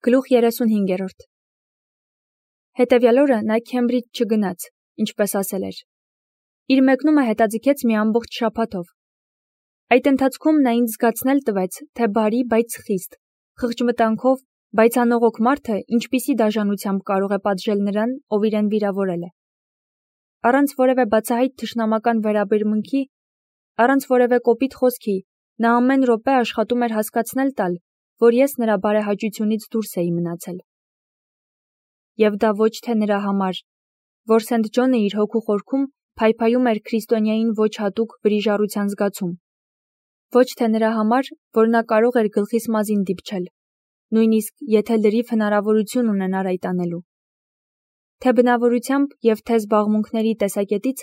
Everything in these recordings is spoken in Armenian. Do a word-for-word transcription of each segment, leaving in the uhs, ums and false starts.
Գլուխ երեսունհինգերորդ Հետևյալ օրը նա Քեմբրիջ չգնաց, ինչպես ասել էր։ Իր մեկնումը հետաձգեց մի ամբողջ շաբաթով։ Այդ ընթացքում նա ինձ զգացնել տվեց, թե բարի, բայց խիստ, խղճմտանքով, բայց անողոք մարդը ինչպիսի դաժանությամբ կարող է պատժել նրան, ով իրեն վիրավորել է։ Առանց որևէ բացահայտ թշնամական վերաբերմունքի, առանց որևէ կոպիտ խոսքի, նա ամեն րոպե աշխատում էր հասկացնել տալ, որ ես նրա բարեհաճությունից դուրս էի մնացել։ Եվ դա ոչ թե նրա համար, որ Սենթ Ջոնը իր հոգու խորքում փայփայում էր քրիստոնյային ոչ հատուկ վրիժառության զգացում, ոչ թե նրա համար, որ նա կարող էր գլխիս մազին դիպչել, նույնիսկ եթե լրիվ հնարավորություն ունենար այդ անելու։ Թե բնավորությամբ և թե զբաղմունքների տեսակետից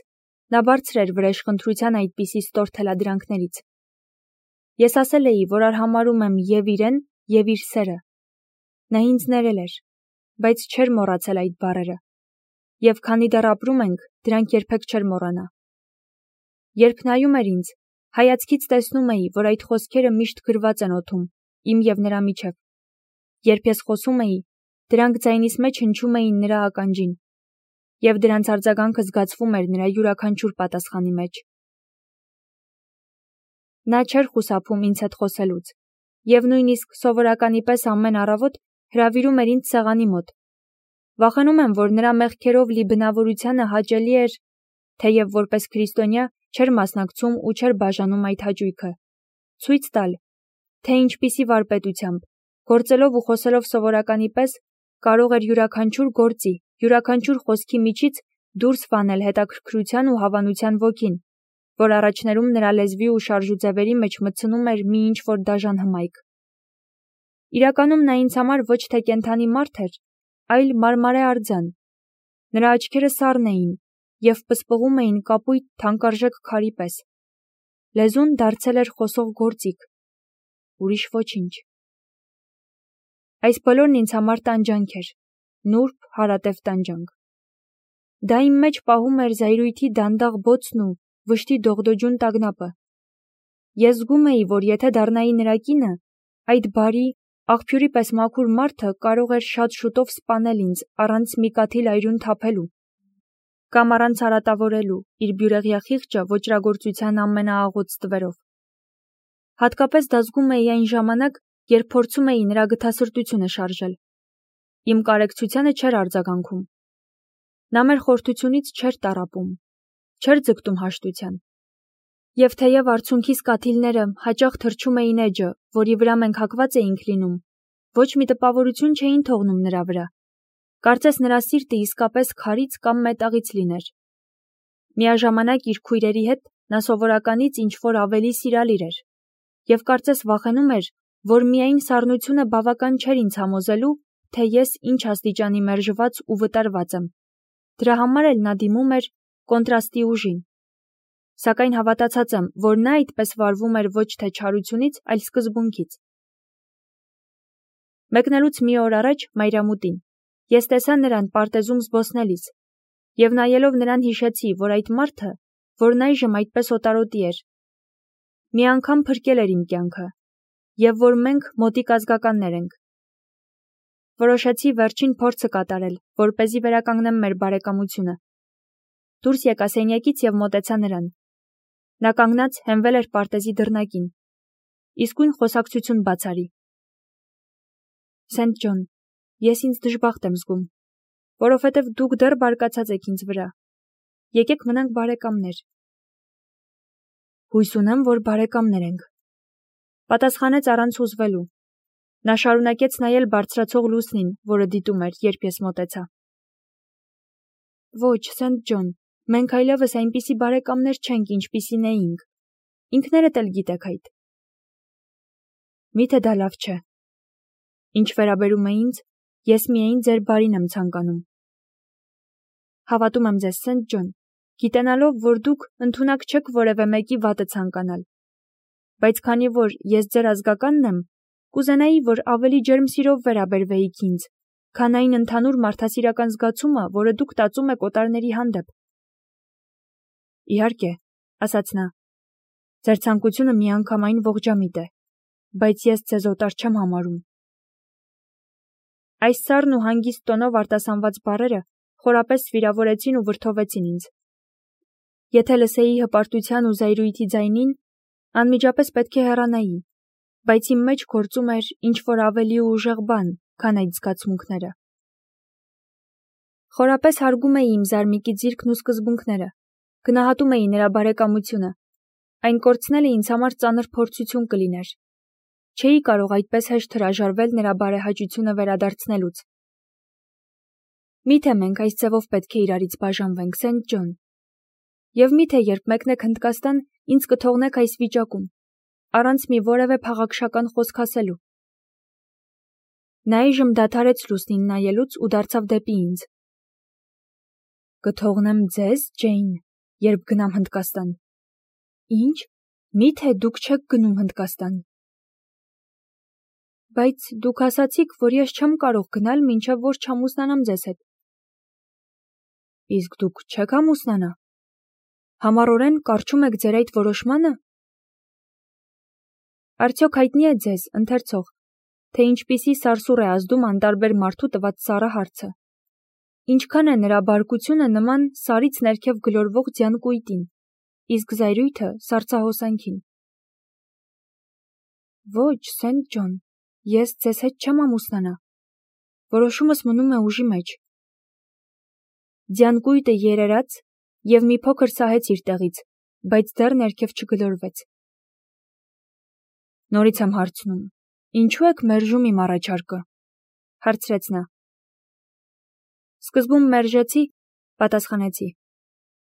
նա բարձր էր վրեժխնդրության այդպիսի ստոր թելադրանքներից։ Ես ասել էի, որ արհամարհում եմ և իրեն, և իր սերը։ Նա ինձ ներել էր, բայց չէր մոռացել այդ բառերը, և քանի դեռ ապրում ենք, դրանք երբեք չէր մոռանա։ Երբ նայում էր ինձ, հայացքից տեսնում էի, որ այդ խոսքերը միշտ գրված են օդում, իմ և նրա միջև։ Երբ ես խոսում էի, դրանք ձայնիս մեջ հնչում էին նրա ականջին, և դրանց արձագանքը զգացվում էր նրա յուրաքանչյուր պատասխանի մեջ։ Նա չէր խուսափում ինձ հետ խոսելուց, և նույնիսկ սովորականի պես ամեն առավոտ հրավիրում էր ինձ սեղանի մոտ։ Վախենում եմ, որ նրա մեղքերով լի բնավորությանը հաճելի էր, թեև որպես քրիստոնյա չէր մասնակցում ու չէր բաժանում այդ հաճույքը, ցույց տալ, թե ինչպիսի վարպետությամբ, գործելով ու խոսելով սովորականի պես, կարող էր յուրաքանչյուր գործի, յուրաքանչյուր խոսքի միջից դուրս վանել հետաքրքրության ու հավանության ոգին, որ առաջներում նրա լեզվի ու շարժուձևերի մեջ մտցնում էր մի ինչ-որ դաժան հմայք։ Իրականում նա ինձ համար ոչ թե կենդանի մարդ էր, այլ մարմարե արձան։ Նրա աչքերը սառն էին և պսպղում էին կապույտ թանկարժեք քարի պես։ Լեզուն դարձել էր խոսող գործիք։ Ուրիշ ոչինչ։ Այս բոլորն ինձ համար տանջանք էր, նուրբ, հարատև տանջանք։ Դա իմ մեջ պահում էր զայրույթի դանդաղ բոցն ու վշտի դողդոջուն տագնապը։ Ես զգում էի, որ եթե դառնայի նրա կինը, այդ բարի, աղբյուրի պես մաքուր մարդը կարող էր շատ շուտով սպանել ինձ առանց մի կաթիլ այրուն թափելու, կամ առանց արատավորելու իր բյուրեղյա խիղճը ոճրագործության ամենաաղոտ ստվերով։ Հատկապես դա զգում էի այն ժամանակ, երբ փորձում էի նրա գթասրտությունը շարժել։ Իմ կարեկցությանը չէր արձագանքում։ Նա մեր խորթությունից չէր տառապում, չէր ձգտում հաշտության։ Եվ թեև արցունքիս կաթիլները հաճախ թռչում էին էջը, որի վրա մենք հակված էինք լինում, ոչ մի տպավորություն չէին թողնում նրա վրա։ Կարծես նրա սիրտը իսկապես քարից կամ մետաղից լիներ։ Միաժամանակ իր քույրերի հետ նա սովորականից ինչ-որ ավելի սիրալիր էր, և կարծես վախենում էր, որ միայն սառնությունը բավական չէր ինձ համոզելու, թե ես ինչ աստիճանի մերժված ու վտարված եմ։ Դրա համար էլ նա դիմում էր կոնտրաստի ուժին։ Սակայն հավատացած եմ, որ նա այդպես վարվում էր ոչ թե չարությունից, այլ սկզբունքից։ Մեկնելուց մի օր առաջ մայրամուտին ես տեսա նրան պարտեզում զբոսնելիս, և նայելով նրան հիշեցի, որ այդ մարդը, որն այժմ այդպես օտարոտի էր, մի անգամ փրկել էր իմ կյանքը, և որ մենք մոտիկ ազգականներ ենք։ Որոշեցի վերջին փորձը կատարել, որպեսզի վերականգնեմ մեր բարեկամությունը։ Դուրս եկա սենյակից և մոտեցա նրան։ Նա կանգնած հենվել էր պարտեզի դռնակին։ Իսկույն խոսակցություն բաց արի։ Սենթ Ջոն, ես ինձ դժբախտ եմ զգում, որովհետև դուք դեռ բարկացած եք ինձ վրա։ Եկեք մնանք բարեկամներ։ Հույս ունեմ, որ բարեկամներ ենք, պատասխանեց առանց հուզվելու։ Նա շարունակեց նայել բարձրացող լուսնին, որը դիտում էր, երբ ես մոտեցա։ Ոչ, Սենթ Ջոն, մենք այլևս այնպիսի բարեկամներ չենք, ինչպիսին էինք։ Ինքներդ էլ գիտեք այդ։ Միթե դա լավ չէ։ Ինչ վերաբերում է ինձ, ես միայն ձեր բարին եմ ցանկանում։ Հավատում եմ ձեզ, Սենթ Ջոն, գիտենալով, որ դուք ընդունակ չեք որևէ մեկի վատը ցանկանալ։ Բայց քանի որ ես ձեր ազգականն եմ, կուզենայի, որ ավելի ջերմ սիրով վերաբերվեիք ինձ, քան այն ընդհանուր մարդասիրական զգացումը, որը դուք տածում եք օտարների հանդեպ։ Իհարկե, ասաց նա, ձեր ցանկությունը միանգամայն ողջամիտ է, բայց ես ձեզ օտար չեմ համարում։ Այս սառն ու հանգիստ տոնով արտասանված բառերը խորապես վիրավորեցին ու վրդովեցին ինձ։ Եթե լսեի հպարտության ու զայրույթի ձայնին, անմիջապես պետք է հեռանայի, բայց իմ մեջ գործում էր ինչ-որ ավելի ուժեղ բան, քան այդ զգացմունքները։ Խորապես հարգում էի իմ զարմիկի ձիրքն ու սկզբունքները, գնահատում էի նրա բարեկամությունը, այն կորցնելը ինձ համար ծանր փորձություն կլիներ։ Չէի կարող այդպես հեշտ հրաժարվել նրա բարեհաճությունը վերադարձնելուց։ Միթե մենք այս ձևով պետք է իրարից բաժանվենք, Սենթ Ջոն։ Եվ միթե երբ մեկնեք Հնդկաստան, ինձ կթողնեք այս վիճակում, առանց մի որևէ փաղաքշական խոսք ասելու։ Նա այժմ դադարեց լուսնին նայելուց ու դարձավ դեպի ինձ։ Կթողնեմ ձեզ, Ջեյն, երբ գնամ Հնդկաստան։ Ինչ, միթե դուք չեք գնում Հնդկաստան։ Բայց դուք ասացիք, որ ես չեմ կարող գնալ, մինչև որ չամուսնանամ ձեզ հետ։ Իսկ դուք չեք ամուսնանա։ Համառորեն կառչում եք ձեր այդ որոշմանը։ Արդյոք հայտնի է ձեզ, ընթերցող, թե ինչպիսի սարսուռ է ազդում անտարբեր մարդու տված սառը հարցը։ Ինչքան է նրա բարկությունը նման սարից ներքև գլորվող ձյան կույտին, իսկ զայրույթը սառցահոսանքին։ Ոչ, Սենթ Ջոն, ես ձեզ հետ չեմ ամուսնանա։ Որոշումս մնում է ուժի մեջ։ Ձյան կույտը երերաց և մի փոքր սահեց իր տեղից, բայց դեռ ներքև չգլորվեց։ Նորից եմ հարցնում, ինչու եք մերժում իմ առաջարկը, հարցրեց նա։ Սկզբում մերժեցի, պատասխանեցի,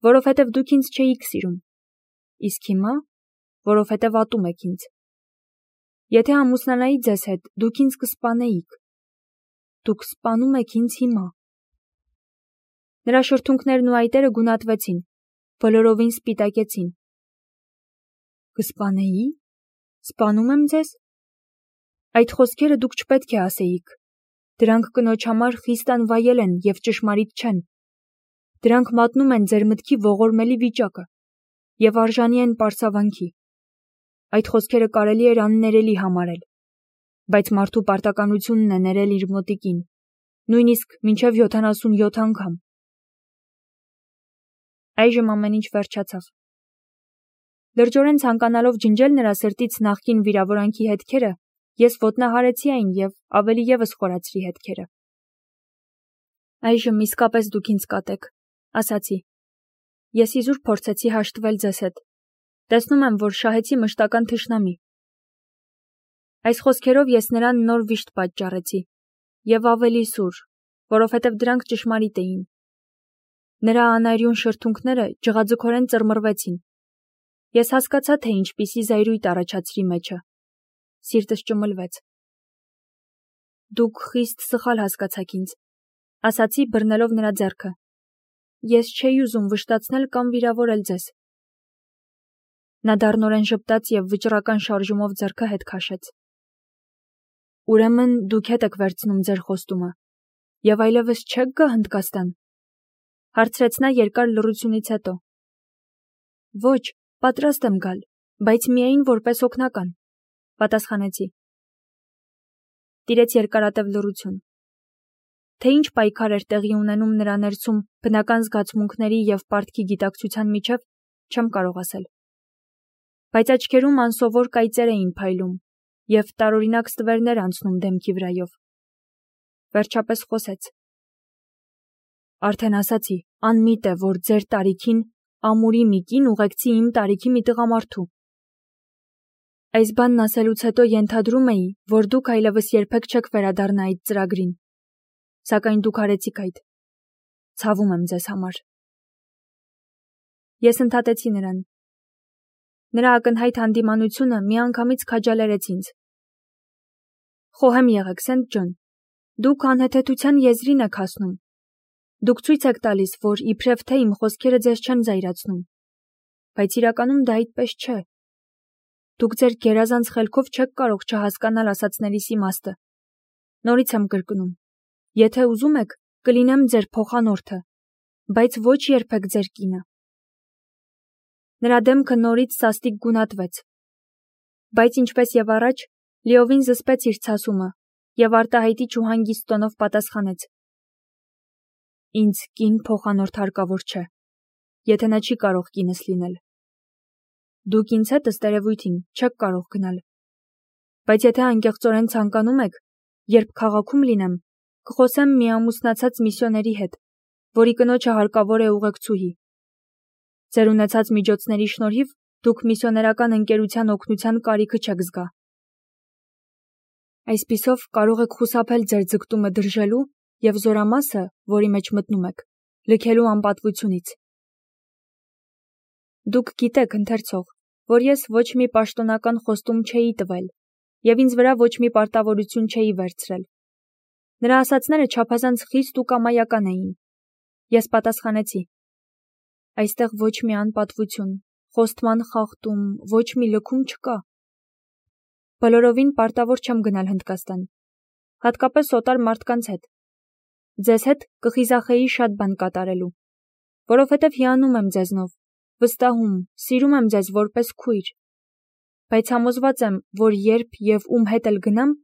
որովհետև դուք ինձ չէիք սիրում, իսկ հիմա, որովհետև ատում եք ինձ։ Եթե ամուսնանայի ձեզ հետ, դուք ինձ կսպանեիք։ Դուք սպանում եք ինձ հիմա։ Նրա շրթունքներն ու այտերը գունատվեցին, բոլորովին սպիտակեցին։ Կսպանեի։ Սպանում եմ ձեզ։ Այդ խոսքերը դուք չպետք է ասեիք։ Դրանք կնոջ համար խիստ անվայել են և ճշմարիտ չեն։ Դրանք մատնում են ձեր մտքի ողորմելի վիճակը և արժանի են պարծավանքի։ Այդ խոսքերը կարելի էր աններելի համարել, բայց մարդու պարտականությունն է ներել իր մոտիկին, նույնիսկ մինչև յոթանասունյոթ անգամ։ Այժմ ամեն ինչ վերջացավ։ Լրջորեն ցանկանալով ջնջել նրա սրտից նախկին վիրավորանքի հետքերը, ես ոտնահարեցի այն և ավելի ևս խորացրի հետքերը։ Այժմ իսկապես դուք ինձ կատեք, ասացի։ Ես իզուր փորձեցի հաշտվել ձեզ հետ։ Տեսնում եմ, որ շահեցի մշտական թշնամի։ Այս խոսքերով ես նրան նոր վիշտ պատճառեցի, և ավելի սուր, որովհետև դրանք ճշմարիտ էին։ Նրա անարյուն շրթունքները ջղաձգորեն ծռմռվեցին։ Ես հասկացա, թե ինչպիսի զայրույթ առաջացրի մեջը։ Սիրտս ճմլվեց։ Դուք խիստ սխալ հասկացաք ինձ, ասացի բռնելով նրա ձեռքը։ Ես չէի ուզում վշտացնել կամ վիրավորել ձեզ։ Նա դառնորեն ժպտաց և վճռական շարժումով ձեռքը հետ քաշեց։ Ուրեմն դուք հետ եք վերցնում ձեր խոստումը և այլևս չեք գա Հնդկաստան, հարցրեց նա երկար լռությունից հետո։ Ոչ, պատրաստ եմ գալ, բայց միայն որպես օգնական, պատասխանեցի։ Տիրեց երկարատև լռություն։ Թե ինչ պայքար էր տեղի ունենում նրա ներսում բնական զգացմունքների և պարտքի գիտակցության միջև, չեմ կարող ասել։ Բայց աչքերում անսովոր կայծեր էին փայլում և տարօրինակ ստվերներ անցնում դեմքի վրայով։ Վերջապես խոսեց. Արդեն ասացի, անմիտ է, որ ձեր տարիքին ամուրի մի կին ուղեկցի իմ տարիքի մի տղամարդու։ Այս բանն ասելուց հետո ենթադրում էի, որ դուք այլևս երբեք չեք վերադառնա այդ ծրագրին, սակայն դուք արեցիք այդ։ Ցավում եմ ձեզ համար։ Ես ընդհատեցի նրան։ Նրա ակնհայտ հանդիմանությունը միանգամից քաջալերեց ինձ։ Խոհեմ եղեք, Սենթ Ջոն, դուք անհեթեթության եզրին եք հասնում։ Դուք ցույց եք տալիս, որ իբրև թե իմ խոսքերը ձեզ չեն զայրացնում, բայց իրականում դա այդպես չէ։ Դուք ձեր գերազանց խելքով չեք կարող չհասկանալ ասածներիս իմաստը։ Նորից եմ կրկնում, եթե ուզում եք, կլինեմ ձեր փոխանորդը, բայց ոչ երբեք ձեր կինը։ Նրա դեմքը նորից սաստիկ գունատվեց, բայց ինչպես և առաջ, լիովին զսպեց իր ցասումը եւ արտահայտիչ ու հանգիստ տոնով պատասխանեց. Ինձ կին փոխանորդ հարկավոր չէ, եթե նա չի կարող կինս լինել։ Դուք ինձ հետ ըստ երևույթին չեք կարող գնալ։ Բայց եթե անկեղծորեն ցանկանում եք, երբ քաղաքում լինեմ, կխոսեմ մի ամուսնացած միսիոների հետ, որի կնոջը հարկավոր է ուղեկցուհի։ Ձեր ունեցած միջոցների շնորհիվ դուք միսիոներական ընկերության օգնության կարիքը չեք զգա։ Այսպիսով կարող եք խուսափել ձեր ձգտումը դրժելու եւ զորամասը, որի մեջ մտնում եք, լքելու անպատվությունից։ Դուք գիտեք, ընթերցող, որ ես ոչ մի պաշտոնական խոստում չէի տվել եւ ինձ վրա ոչ մի պարտավորություն չէի վերցրել։ Նրա ասացները չափազանց խիստ ու կամայական էին։ Ես պատասխանեցի. Այստեղ ոչ մի անպատվություն, խոստման խախտում, ոչ մի լքում չկա։ Բոլորովին պարտավոր չեմ գնալ Հնդկաստան, հատկապես օտար մարդկանց հետ։ Ձեզ հետ կխիզախեի շատ բան կատարելու, որովհետև հիանում եմ ձեզնով, վստահում, սիրում եմ ձեզ որպես քույր, բայց համոզված եմ, որ երբ եւ ում հետ էլ գնամ,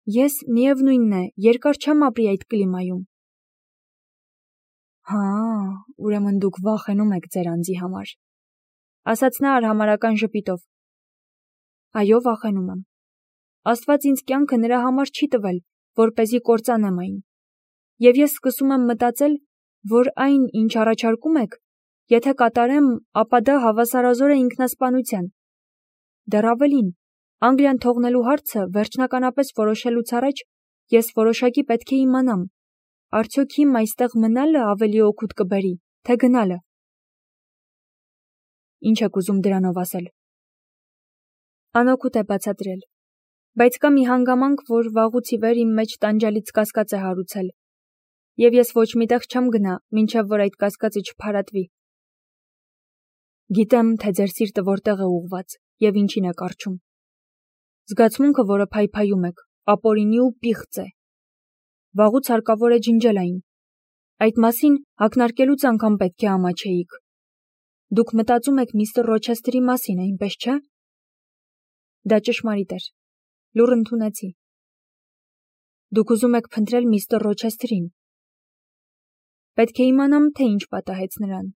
ես միևնույնն է, երկար չեմ ապրի այդ կլիմայում։ Հա, ուրեմն դուք վախենում եք ձեր անձի համար, ասաց նա արհամարական ժպիտով։ Այո, վախենում եմ։ Աստված ինձ կյանքը նրա համար չի տվել, որպեսզի կործանեմ այն։ Եվ ես սկսում եմ մտածել, որ այն, ինչ առաջարկում եք, եթե կատարեմ, ապա դա հավասարազոր է ինքնասպանության։ Դեռ ավելին, Անգլիան թողնելու հարցը վերջնականապես որոշելուց առաջ ես որոշակի պետք է իմանամ, արդյոք իմ այստեղ մնալը ավելի օգուտ կբերի, թե գնալը։ Ինչ եք ուզում դրանով ասել։ Անօգուտ է բացատրել, բայց կա մի հանգամանք, որ վաղուց ի վեր իմ մեջ տանջալից կասկած է հարուցել, եւ ես ոչ միտեղ չեմ գնա, մինչեւ որ այդ կասկածը չփարատվի։ Գիտեմ, թե ձեր սիրտը որտեղ է ուղված եւ ինչին է կարճում։ Զգացմունքը, որը փայփայում եք, ապօրինի ու պիղծ է։ Վաղուց հարկավոր է ջնջել այն։ Այդ մասին ակնարկելուց անգամ պետք է ամաչեիք։ Դուք մտածում եք միստր Ռոչեսթերի մասին, այնպես չէ։ Դա ճշմարիտ էր։ Լուռ ընդունեցի։ Դուք ուզում եք փնտրել միստր Ռոչեսթերին։ Պետք է իմանամ, թե ինչ պատահեց նրան։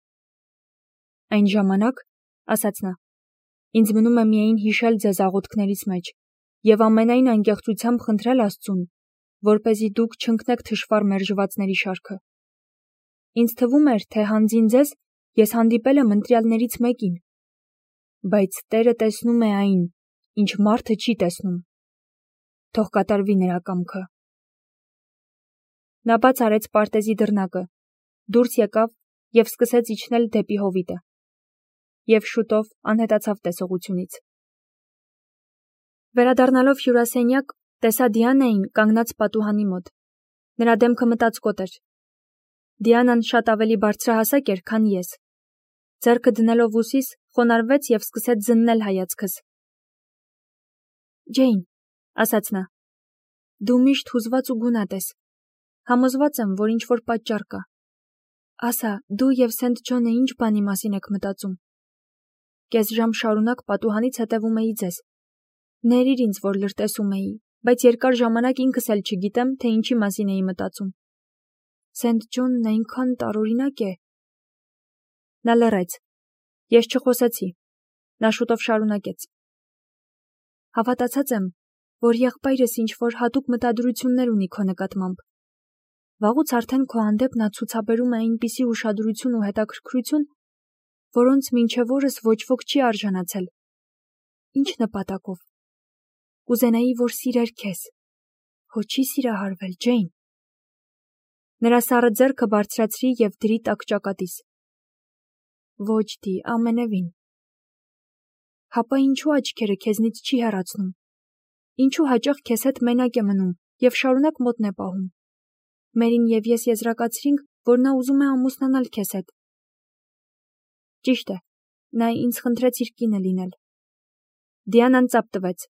Այն ժամանակ, ասաց նա, ինձ մնում է միայն հիշել ձեզ աղոթքներից մեջ եւ ամենայն անկեղծությամբ խնդրել Աստծուն, որպեսզի դուք չընկնեք թշվառ մերժվածների շարքը։ Ինձ թվում էր, թե հանձին ձեզ ես հանդիպել եմ ընտրյալներից մեկին, բայց Տերը տեսնում է այն, ինչ մարդը չի տեսնում։ Թող կատարվի նրա կամքը։ Նա բաց արեց պարտեզի դռնակը, դուրս եկավ եւ սկսեց իջնել դեպի հովիտը։ Եվ շուտով անհետացավ տեսողությունից։ Վերադառնալով հյուրասենյակ, տեսա Դիանային կանգնած պատուհանի մոտ։ Նրա դեմքը մտածկոտ էր։ Դիանան շատ ավելի բարձրահասակ էր, քան ես։ Ձեռքը դնելով ուսիս, խոնարհվեց եւ սկսեց զննել հայացքս։ Ջեյն, ասաց նա, դու միշտ հուզված ու գունատ ես։ Համոզված եմ, որ ինչ-որ պատճառ կա։ Ասա, դու եւ Սենթ Ջոնը ինչ բանի մասին եք մտածում։ Կես ժամ շարունակ պատուհանից հետևում էի ձեզ։ Ներիր ինձ, որ լրտեսում էի, բայց երկար ժամանակ ինքս էլ չգիտեմ, թե ինչի մասին էի մտածում։ Սենթ Ջոնն այնքան տարօրինակ է։ Նա լռեց։ Ես չխոսեցի։ Նա շուտով շարունակեց. Հավատացած եմ, որ եղբայրս ինչ-որ հատուկ մտադրություններ ունի քո նկատմամբ։ Վաղուց արդեն քո հանդեպ նա ցուցաբերում է այնպիսի ուշադրություն ու հետաքրքրություն, որոնց մինչև օրս ոչ ոք չի արժանացել։ Ինչ նպատակով։ Կուզենայի, որ սիրեր քեզ։ Հո չի սիրահարվել, Ջեյն։ Նրա սառը ձեռքը բարձրացրի եւ դրի տակ ճակատիս։ Ոչ դի, ամենևին։ Հապա ինչու աչքերը քեզնից չի հեռացնում։ Ինչու հաճախ քեզ հետ մենակ է մնում եւ շարունակ մոտն է պահում։ Մերին եւ ես եզրակացրինք, որ նա ուզում է ամուսնանալ քեզ հետ։ Ճիշտ է, նա ինձ խնդրեց իր կինը լինել։ Դիանան ծափ տվեց։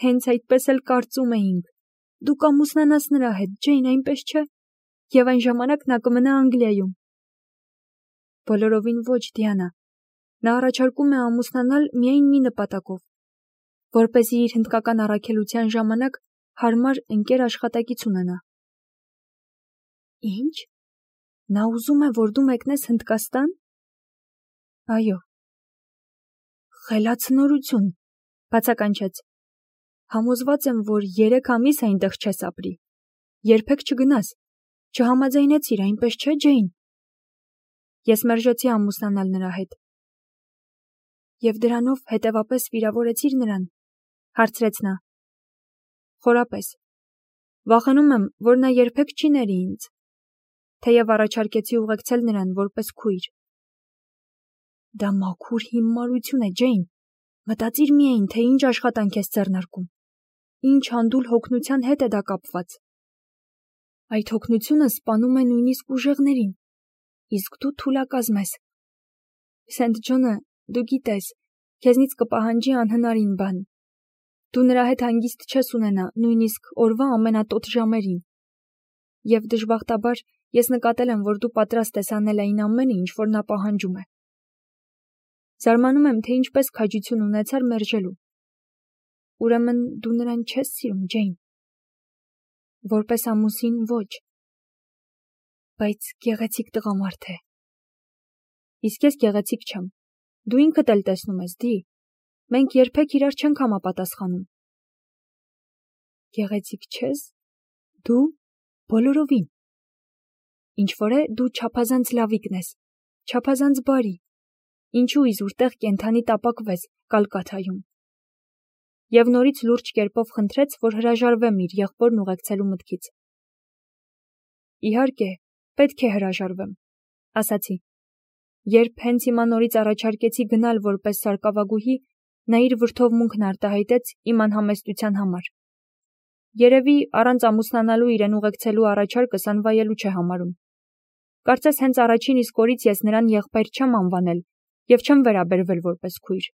Հենց այդպես էլ կարծում էինք։ Դու կամուսնանաս նրա հետ, Ջեյն, այնպես չէ։ Եվ այն ժամանակ նա կմնա Անգլիայում։ Բոլորովին ոչ, Դիանա։ Նա առաջարկում է ամուսնանալ միայն մի նպատակով, որպեսզի իր հնդկական առաքելության ժամանակ հարմար ընկեր աշխատակից ունենա։ Ինչ։ Նա ուզում է, որ դու մեկնես Հնդկաստան։ Այո։ Խելացնորություն, բացականչեց։ Համոզված եմ, որ երեք ամիս այնտեղ չես ապրի։ Երբեք չգնաս։ Չհամաձայնեցիր, այնպես չէ, Ջեյն։ Ես մերժեցի ամուսնանալ նրա հետ։ Եվ դրանով հետևապես վիրավորեցիր նրան, հարցրեց նա։ Խորապես։ Վախենում եմ, որ նա երբեք չի ների ինձ, թեև առաջարկեցի ուղեկցել նրան որպես քույր։ Դա մաքուր հիմարություն է, Ջեյն։ Մտածիր միայն, թե ինչ աշխատանք ես ձեռնարկում։ Ինչ հանդուլ հոգնության հետ է դա կապված։ Այդ հոգնությունը սպանում է նույնիսկ ուժեղներին, իսկ դու թուլակազմ ես։ Սենթ Ջոնը, դու գիտես, քեզնից կպահանջի անհնարին բան։ Դու նրա հետ հանգիստ չես ունենա, նույնիսկ օրվա ամենատոտ ժամերին։ Եվ դժբախտաբար ես նկատել եմ, որ դու պատրաստ ես անել այն ամենը, ինչ որ նա պահանջում է։ Զարմանում եմ, թե ինչպես քաջություն ունեցար մերժելու։ Ուրեմն դու նրան չես սիրում, Ջեյն։ Որպես ամուսին ոչ։ Բայց գեղեցիկ տղամարդ է։ Իսկ ես գեղեցիկ չեմ։ Դու ինքդ էլ տեսնում ես, Դի։ Մենք երբեք իրար չենք համապատասխանում։ Գեղեցիկ չես։ Դու բոլորովին։ Ինչ որ է, դու չափազանց լավիկն ես, չափազանց բարի։ Ինչու իզուր տեղ կենթանի տապակվես Կալկաթայում։ Եվ նորից լուրջ կերպով խնդրեց, որ հրաժարվեմ իր եղբորն ուղեկցելու մտքից։ Իհարկե, պետք է հրաժարվեմ, ասացի։ Երբ հենց հիմա նորից առաջարկեցի գնալ որպես սարկավագուհի, նա իր վրդովմունքն արտահայտեց իմ անհամեստության համար։ Երևի առանց ամուսնանալու իրեն ուղեկցելու առաջարկս անվայելու չէ համարում։ Կարծես հենց առաջին իսկ օրից ես նրան եղբայր չեմ անվանել և չեմ վերաբերվել որպես քույր։